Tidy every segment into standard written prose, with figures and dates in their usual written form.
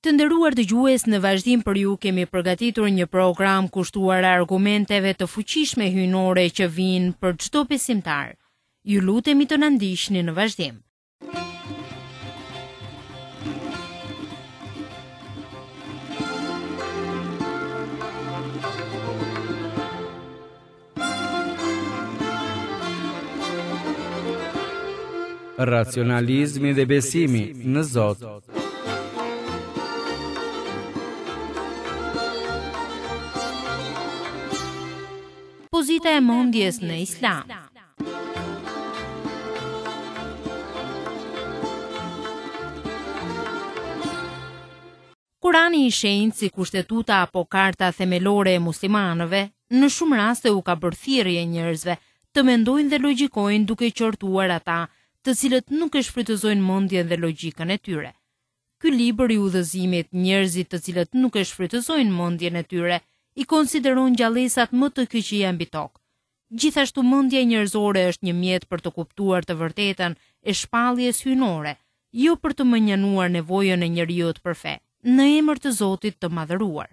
Të nderuar dëgjues, në vazhdim për ju kemi përgatitur një program kushtuar argumenteve të fuqishme hyjnore që vijnë për çdo besimtar. Ju lutemi të na ndiqni në vazhdim. Racionalizmi dhe besimi në Zot. Pozita e mendjes në Islam. Kurani i Shenjtë si kushtetuta apo karta themelore e muslimanëve, në shumë raste u ka bërë thirrje njerëzve të mendojnë dhe logjikojnë duke qortuar ata të cilët nuk e shfrytëzojnë mendjen dhe logjikën e tyre. Ky libër i udhëzimit njerëzit të cilët nuk e shfrytëzojnë mendjen e tyre i konsideron gjallesat më të këqija mbi tokë. Gjithashtu mendja njerëzore është një mjet për të kuptuar të vërtetën e shpalljes hyjnore, jo për të mënjanuar nevojën e njeriut për fe, në emër të Zotit të Madhëruar.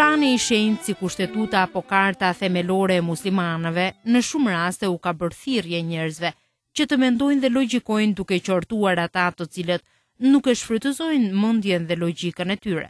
Kurani i Shenjtë si kushtetuta apo karta themelore e muslimanëve, në shumë raste u ka bërë thirrje njerëzve që të mendojnë dhe logjikojnë duke qortuar ata të cilët nuk e shfrytëzojnë mendjen dhe logjikën e tyre.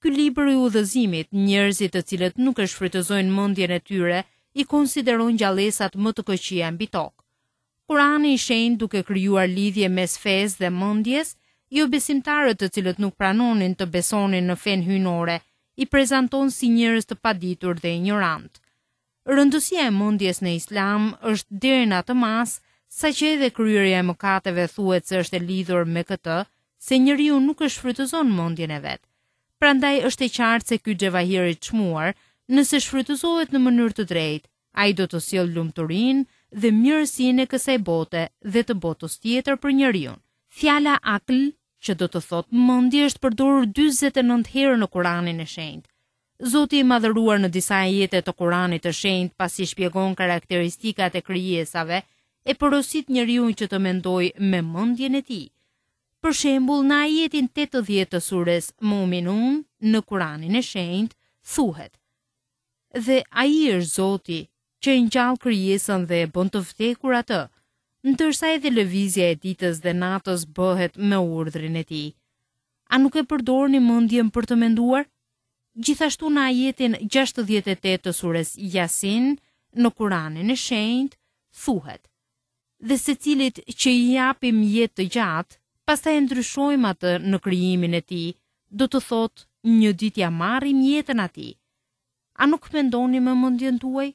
Ky libër i udhëzimit, njerëzit të cilët nuk e shfrytëzojnë mendjen e tyre, i konsideron gjallesat më të këqija mbi tokë. Kurani i Shenjtë duke krijuar lidhje mes fesë dhe mendjes, jobesimtarët të cilët nuk pranonin të besonin në fenë hyjnore, i prezanton si njerëz të paditur dhe injorantë. Rëndësia e mendjes në Islam është deri në atë masë, saqë edhe kryerja e mëkateve thuhet se është e lidhur me këtë, se njeriu nuk e shfrytëzon mendjen e vet. Prandaj është e qartë se ky xhevahir i çmuar, nëse shfrytëzohet në mënyrë të drejtë, Ai do të sjellë lumturinë dhe mirësinë e kësaj bote dhe të botës tjetër për njeriun. Fjala akl, që do të thotë mendje është përdorur 49 herë në Kuranin e Shenjtë. Zoti i Madhëruar në disa ajete të Kuranit të Shenjtë pasi shpjegon karakteristikat e krijesave, e porosit njeriun që të mendojë me mendjen e tij. Për shembull, në ajetin 80 të sures Muminun në Kuranin e Shenjtë thuhet: Dhe Ai është Zoti, që e ngjall krijesën dhe e bën të vdekur atë, ndërsa edhe lëvizja e ditës dhe natës bëhet me urdhrin e Tij. A nuk e përdorni mendjen për të menduar? Gjithashtu në ajetin 68 të sures Jasin në Kuranin e Shenjtë thuhet: Dhe secilit që i japim jetë të gjatë, pastaj e ndryshojmë atë në krijimin e tij, do të thotë një ditë ia marrim jetën atij. A nuk mendoni me mendjen tuaj?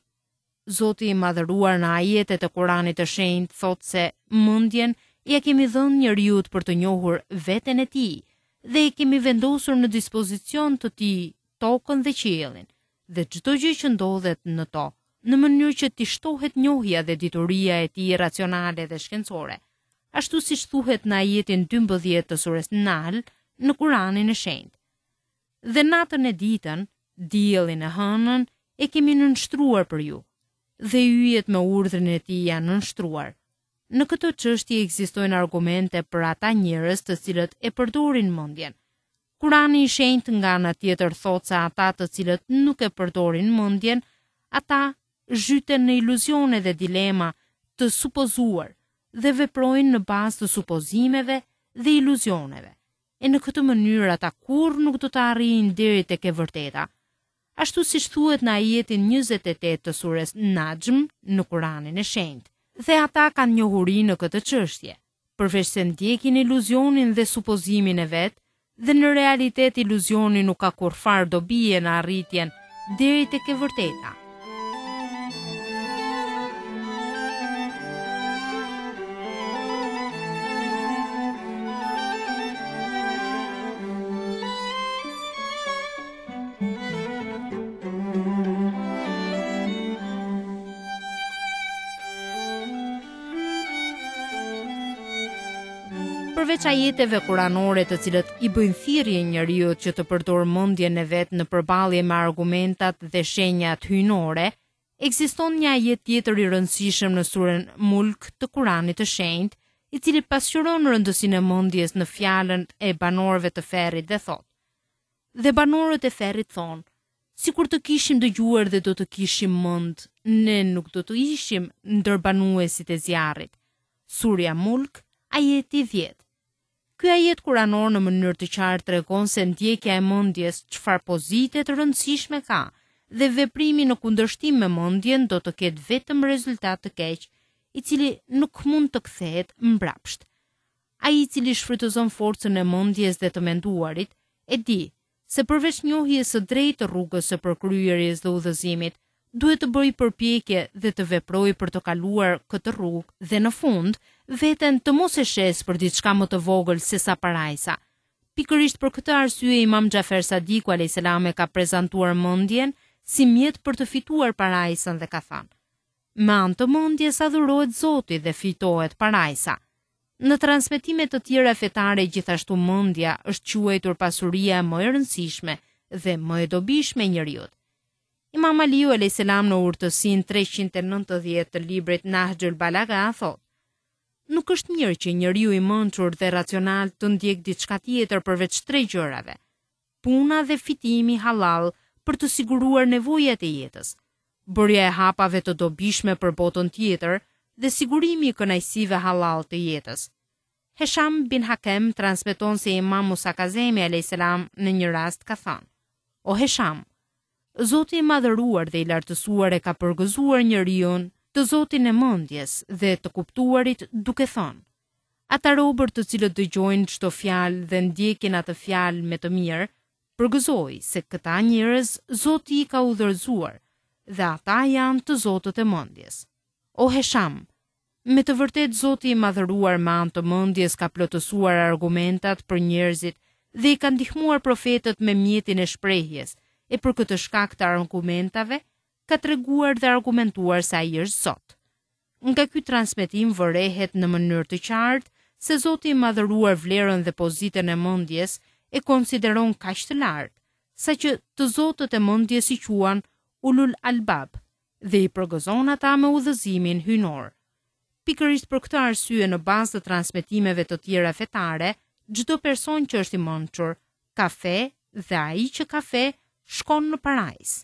Zoti i Madhëruar në ajetet e Kuranit të Shenjtë thotë se mendjen ia kemi dhënë njeriut për të njohur veten e tij dhe e kemi vendosur në dispozicion të tij tokën dhe qiellin dhe çdo gjë që ndodhet në to, në mënyrë që t'i shtohet njohja dhe dituria e tij racionale dhe shkencore, ashtu siç thuhet në ajetin 12 të sures Nahl në Kuranin e Shenjtë. Dhe natën e ditën, diellin e hënën e kemi nënshtruar për ju, dhe yjet me urdhrin e tij janë nënshtruar. Në këtë çështje ekzistojnë argumente për ata njerëz të cilët e përdorin mendjen. Kurani i Shenjtë nga ana tjetër thotë se ata të cilët nuk e përdorin mendjen, ata zhyten në iluzione dhe dilema të supozuar dhe veprojnë në bazë të supozimeve dhe iluzioneve. E në këtë mënyrë ata kurrë nuk do të arrijnë deri tek e vërteta. Ashtu siç thuhet në ajetin 28 të sures Naxhm në Kuranin e Shenjtë. Dhe ata kanë njohuri në këtë çështje, përveçse ndjekin iluzionin dhe supozimin e vet, dhe në realitet iluzioni nuk ka kurrfarë dobie në arritjen deri tek e vërteta. Përveç ajeteve kuranore të cilët i bëjnë thirrje njeriut që të përdorë mendjen e vet në përballje me argumentat dhe shenjat hyjnore, ekziston një ajet tjetër i rëndësishëm në suren Mulk të Kuranit të Shenjtë, i cili pasqyron rëndësinë e mendjes në fjalën e banorëve të ferrit dhe thotë: Dhe banorët e ferrit thonë, sikur të kishim dëgjuar dhe do të kishim mend, ne nuk do të ishim ndër banuesit e zjarrit. Surja Mulk, ajeti 10. Ky ajet kuranor në mënyrë të qartë tregon se ndjekja e mendjes çfarë pozite të rëndësishme ka dhe veprimi në kundërshtim me mendjen do të ketë vetëm rezultat të keq, i cili nuk mund të kthehet mbrapsht. Ai i cili shfrytëzon forcën e mendjes dhe të menduarit, e di se përveç njohjes së drejtë të rrugës së përkryerjes dhe udhëzimit, duhet të bëjë përpjekje dhe të veprojë për të kaluar këtë rrugë dhe në fund, veten të mos e shesë për diçka më të vogël sesa parajsa. Pikërisht për këtë arsye Imam Xhafer Sadiku alejhi selam e ka prezantuar mendjen si mjet për të fituar parajsën dhe ka thënë: Me anë të mendjes adhurohet Zoti dhe fitohet parajsa. Në transmetime të tjera fetare gjithashtu mendja është quajtur pasuria më e rëndësishme dhe më e dobishme e njeriut. Imam Aliu alejhi selam në urtësinë 390 të librit Nahxhul Balagha thotë: Nuk është mirë që njeriu i mençur dhe racional të ndjekë diçka tjetër përveç tre gjërave: puna dhe fitimi hallall për të siguruar nevojat e jetës, bërja e hapave të dobishme për botën tjetër dhe sigurimi i kënaqësive hallall të jetës. Hesham bin Hakem transmeton se Imam Musa Kazemi alejhi selam në një rast ka thënë: O Hesham, Zoti i madhëruar dhe i lartësuar e ka përgëzuar njeriun të zotin e mendjes dhe të kuptuarit duke thënë: Ata robër të cilët dëgjojnë çdo fjalë dhe ndjekin atë fjalë me të mirë, përgëzoji se këta njerëz Zoti i ka udhëzuar dhe ata janë të zotët e mendjes. O Hesham, me të vërtetë Zoti i madhëruar me anë të mendjes ka plotësuar argumentat për njerëzit dhe i ka ndihmuar profetët me mjetin e shprehjes, e për këtë shkak të argumentave ka treguar dhe argumentuar se ai është Zot. Nga ky transmetim vërehet në mënyrë të qartë se Zoti i Madhëruar vlerën dhe pozitën e mendjes e konsideron kaq të lartë, saqë të zotët e mendjes i quan ulul albab dhe i përgëzon ata me udhëzimin hyjnor. Pikërisht për këtë arsye në bazë të transmetimeve të tjera fetare, çdo person që është i mençur ka fe dhe ai që ka fe shkon në parajsë.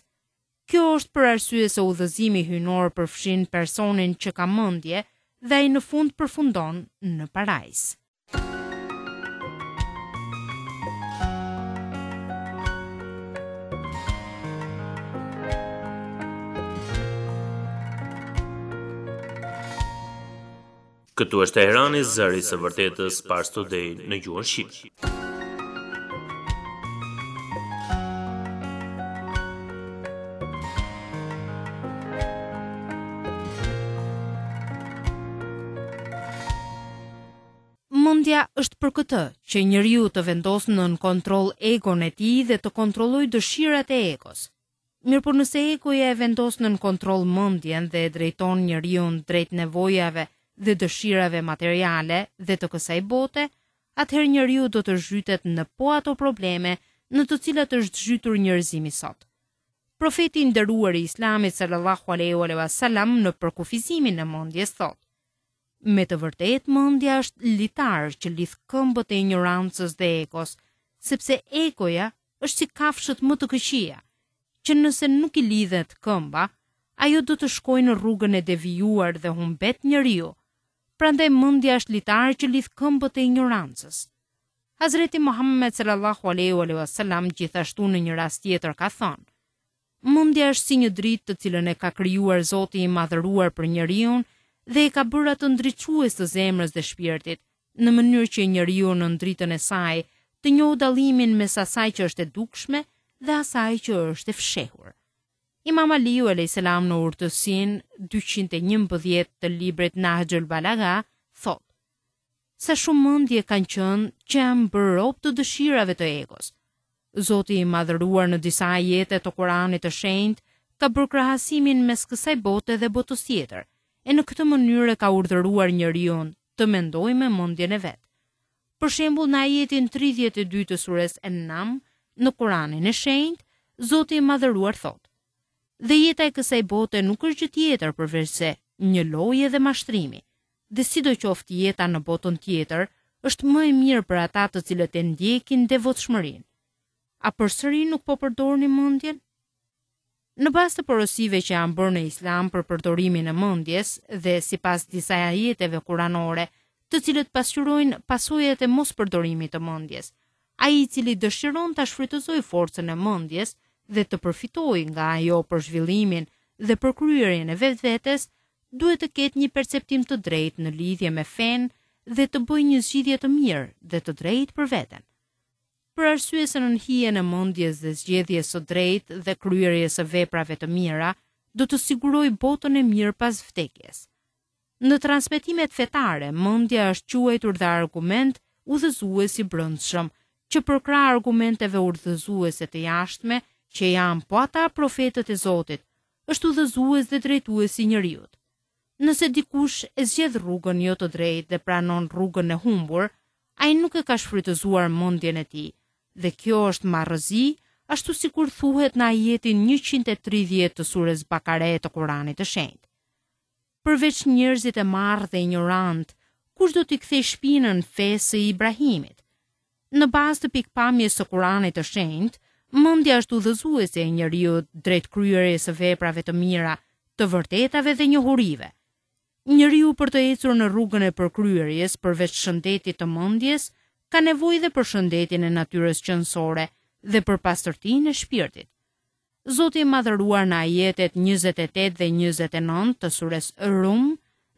Kjo është për arsye se udhëzimi hyjnor përfshin personin që ka mendje dhe ai në fund përfundon në parajsë. Këtu është Teherani, zëri i së vërtetës Pars Today në gjuhën shqipe. Mendja është për këtë, që njeriu të vendosë nën kontroll egon e tij dhe të kontrollojë dëshirat e egos. Mirëpo nëse egoja e vendos nën kontroll mendjen dhe e drejton njeriun drejt nevojave dhe dëshirave materiale dhe të kësaj bote, atëherë njeriu do të zhytet në po ato probleme në të cilat është zhytur njerëzimi sot. Profeti i nderuar i Islamit sallallahu alejhi wa sallam në përkufizimin e mendjes thotë: Me të vërtetë mendja është litar që lidh këmbët e injorancës dhe egos, sepse egoja është si kafshët më të këqija, që nëse nuk i lidhet këmba, ajo do të shkojë në rrugën e devijuar dhe humbet njeriu. Prandaj mendja është litar që lidh këmbët e injorancës. Hazreti Muhammed sallallahu alaihi wasallam gjithashtu në një rast tjetër ka thënë: Mendja është si një dritë të cilën e ka krijuar Zoti i Madhëruar për njeriun dhe e ka bërë atë ndriçues të zemrës dhe shpirtit, në mënyrë që njeriu nën dritën e saj të njohë dallimin mes asaj që është e dukshme dhe asaj që është e fshehur. Imam Aliu alejhi selam në urtësinë 211 të librit Nahxhul Balagha thotë: Sa shumë mendje kanë qenë që janë bërë rob të dëshirave të egos. Zoti i Madhëruar në disa ajete të Kuranit të Shenjtë ka bërë krahasimin mes kësaj bote dhe botës tjetër, e në këtë mënyrë e ka urdhëruar njeriun të mendojë me mendjen e vet. Për shembull, në ajetin 32 të sures En'am, në Kuranin e Shenjtë, Zoti i Madhëruar thotë: Dhe jeta e kësaj bote nuk është gjë tjetër përveçse një loje dhe mashtrimi, dhe sidoqoftë jeta në botën tjetër është më e mirë për ata të cilët e ndjekin devotshmërinë. A përsëri nuk po përdorni mendjen? Në bazë të porosive që janë bërë në Islam për përdorimin e mendjes dhe sipas disa ajeteve kuranore, të cilët pasqyrojnë pasojat e mospërdorimit të mendjes, ai i cili dëshiron ta shfrytëzojë forcën e mendjes dhe të përfitojë nga ajo për zhvillimin dhe përkryerjen e vetvetes, duhet të ketë një perceptim të drejtë në lidhje me fenë dhe të bëjë një zgjidhje të mirë dhe të drejtë për veten. Për arsye se nën hijen e mendjes dhe zgjedhjes së drejtë dhe kryerjes së veprave të mira, do të sigurojë botën e mirë pas vdekjes. Në transmetimet fetare, mendja është quajtur dhe argument udhëzues i brendshëm, që përkrah argumenteve udhëzuese të jashtme, që janë po ata profetët e Zotit, është udhëzues dhe drejtues i njeriut. Nëse dikush e zgjedh rrugën jo të drejtë dhe pranon rrugën e humbur, ai nuk e ka shfrytëzuar mendjen e tij, dhe kjo është marrëzi, ashtu sikur thuhet në ajetin 130 të sures Bakare të Kuranit të Shenjtë. Përveç njerëzit e marrë dhe injorantë, kush do t'i kthejë shpinën fesë së Ibrahimit? Në bazë të pikëpamjes së Kuranit të Shenjtë, mendja është udhëzuese e njeriut drejt kryerjes së veprave të mira, të vërtetave dhe njohurive. Njeriu për të ecur në rrugën e përkryerjes përveç shëndetit të mendjes, ka nevojë dhe për shëndetin e natyrës qenësore dhe për pastërtinë e shpirtit. Zoti i Madhëruar në ajetet 28 dhe 29 të sures Rum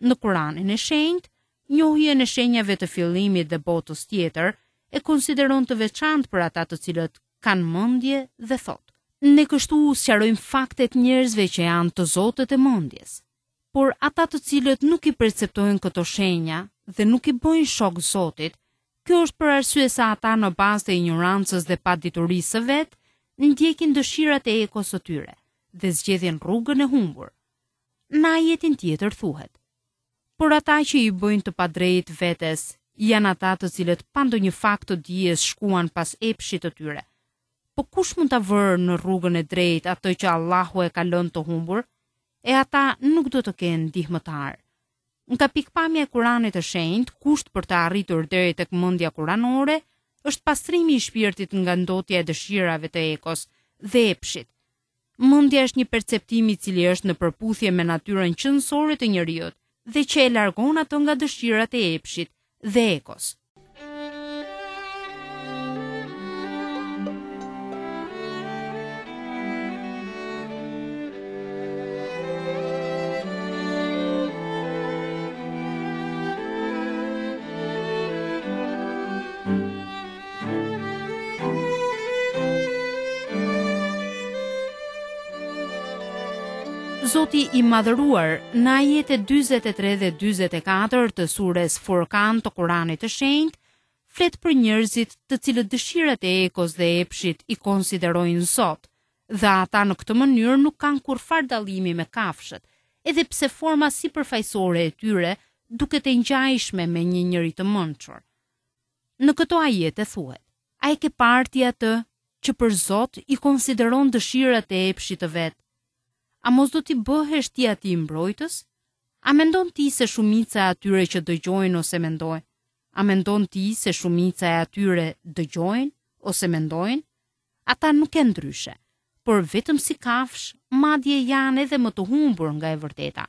në Kuranin e Shenjtë, njohjen e shenjave të fillimit dhe botës tjetër e konsideron të veçantë për ata të cilët kanë mendje dhe thotë: Ne kështu u sqarojmë faktet njerëzve që janë të zotët e mendjes. Por ata të cilët nuk i perceptojnë këto shenja dhe nuk i bëjnë shok Zotit, kjo është për arsye se ata në bazë të injorancës dhe paditurisë së vet, ndjekin dëshirat e egos së tyre dhe zgjedhin rrugën e humbur. Në ajetin tjetër thuhet: Por ata që i bëjnë të padrejtë vetes janë ata të cilët pa ndonjë fakt të dijes shkuan pas epshit të tyre. Po kush mund ta vërë në rrugën e drejtë atë që Allahu e ka lënë të humbur? E ata nuk do të kenë ndihmëtarë. Nga pikëpamja e Kuranit të Shenjtë, kusht për të arritur deri tek mendja kuranore është pastrimi i shpirtit nga ndotja e dëshirave të egos dhe epshit. Mendja është një perceptim i cili është në përputhje me natyrën qenësore të njeriut dhe që e largon atë nga dëshirat e epshit dhe egos. Zoti i Madhëruar në ajetet 43 dhe 44 të sures Furkan të Kuranit të Shenjtë flet për njerëzit të cilët dëshirat e egos dhe epshit i konsiderojnë Zot dhe ata në këtë mënyrë nuk kanë kurrfarë dallimi me kafshët, edhe pse forma sipërfaqësore e tyre duket e ngjashme me një njeri të mençur. Në këto ajete thuhet, A e ke parë ti atë që për Zot i konsideron dëshirat e epshit të vet? A mos do t'i bëhesh ti atij mbrojtës? A mendon ti se shumica e atyre që dëgjojnë ose mendojnë? A mendon ti se shumica e atyre dëgjojnë ose mendojnë? Ata nuk janë ndryshe, por vetëm si kafshë, madje janë edhe më të humbur nga e vërteta.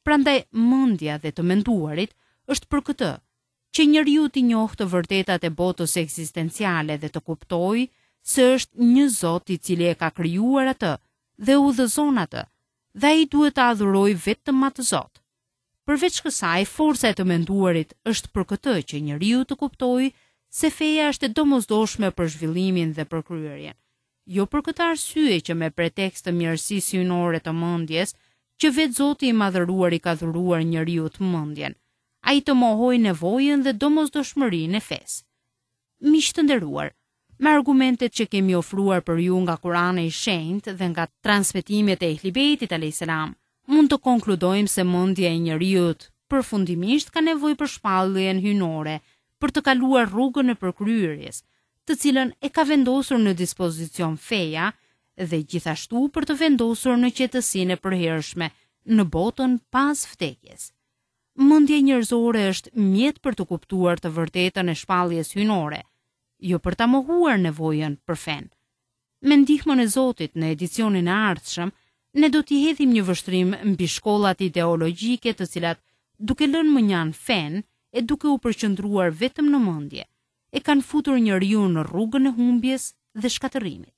Prandaj mendja dhe të menduarit është për këtë, që njeriu t'i njohë të vërtetat e botës ekzistenciale dhe të kuptojë se është një Zot i cili e ka krijuar atë dhe e udhëzon atë, dhe ai duhet të adhurojë vetëm atë Zot. Përveç kësaj, forca e të menduarit është për këtë që njeriu të kuptojë se feja është e domosdoshme për zhvillimin dhe përkryerjen. Jo për këtë arsye që me pretekst të mirësisë hyjnore të mendjes, që vetë Zoti i Madhëruar i ka dhuruar njeriut mendjen, ai të mohojë nevojën dhe domosdoshmërinë e fesë. Miq të nderuar, me argumentet që kemi ofruar për ju nga Kurani i Shenjtë dhe nga transmetimet e Ehli Bejtit alayhis salam, mund të konkludojmë se mendja e njeriut përfundimisht ka nevojë për shpalljen hyjnore. për të kaluar rrugën e përkryerjes, të cilën e ka vendosur në dispozicion feja dhe gjithashtu për të vendosur në qetësinë e përhershme në botën pas vdekjes. Mendja njerëzore është mjet për të kuptuar të vërtetën e shpalljes hyjnore, jo për ta mohuar nevojën për fenë. Me ndihmën e Zotit në edicionin e ardhshëm, ne do t'i hedhim një vështrim mbi shkollat ideologjike të cilat, duke lënë mënjanë fenë e duke u përqendruar vetëm në mendje, e kanë futur njeriun në rrugën e humbjes dhe shkatërrimit.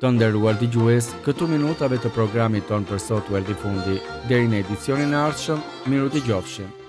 Të nderuar dëgjues, këtu minutave të programit tonë për sot u erdhi fundi. Deri në edicionin e ardhshëm, mirudëgjofshim.